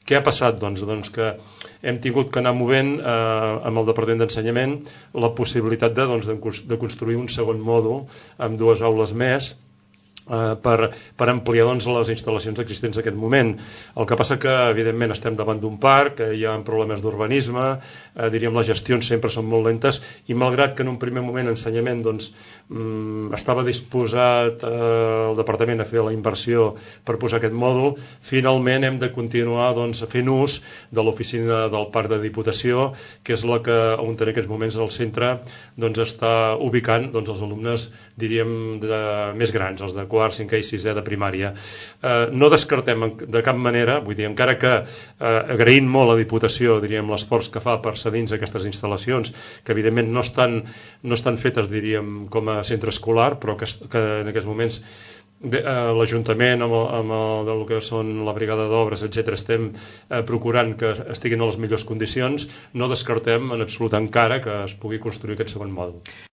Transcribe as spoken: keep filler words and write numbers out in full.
Què ha passat? Doncs, doncs que hem tingut que anar movent eh, amb el Departament d'Ensenyament la possibilitat de, doncs, de, de construir un segon mòdul amb dues aules més, Uh, per, per ampliar doncs, les instal·lacions existents en aquest moment. El que passa que, evidentment, estem davant d'un parc, que hi ha problemes d'urbanisme, uh, diríem, les gestions sempre són molt lentes, i malgrat que en un primer moment Ensenyament doncs, um, estava disposat uh, el Departament a fer la inversió per posar aquest mòdul, finalment hem de continuar doncs, fent ús de l'oficina del Parc de Diputació, que és la que, on en aquests moments el centre doncs, està ubicant doncs, els alumnes, diríem, de, més grans, els de quart, cinquè i sisè de primària. Eh, no descartem de cap manera, vull dir, encara que eh, agraint molt a la Diputació, diríem, l'esforç que fa per cedir-nos aquestes instal·lacions, que evidentment no estan, no estan fetes, diríem, com a centre escolar, però que, que en aquests moments eh, l'Ajuntament amb, el, amb el, el que són la brigada d'obres, etcètera, estem eh, procurant que estiguin a les millors condicions, no descartem en absolut encara que es pugui construir aquest segon mòdul.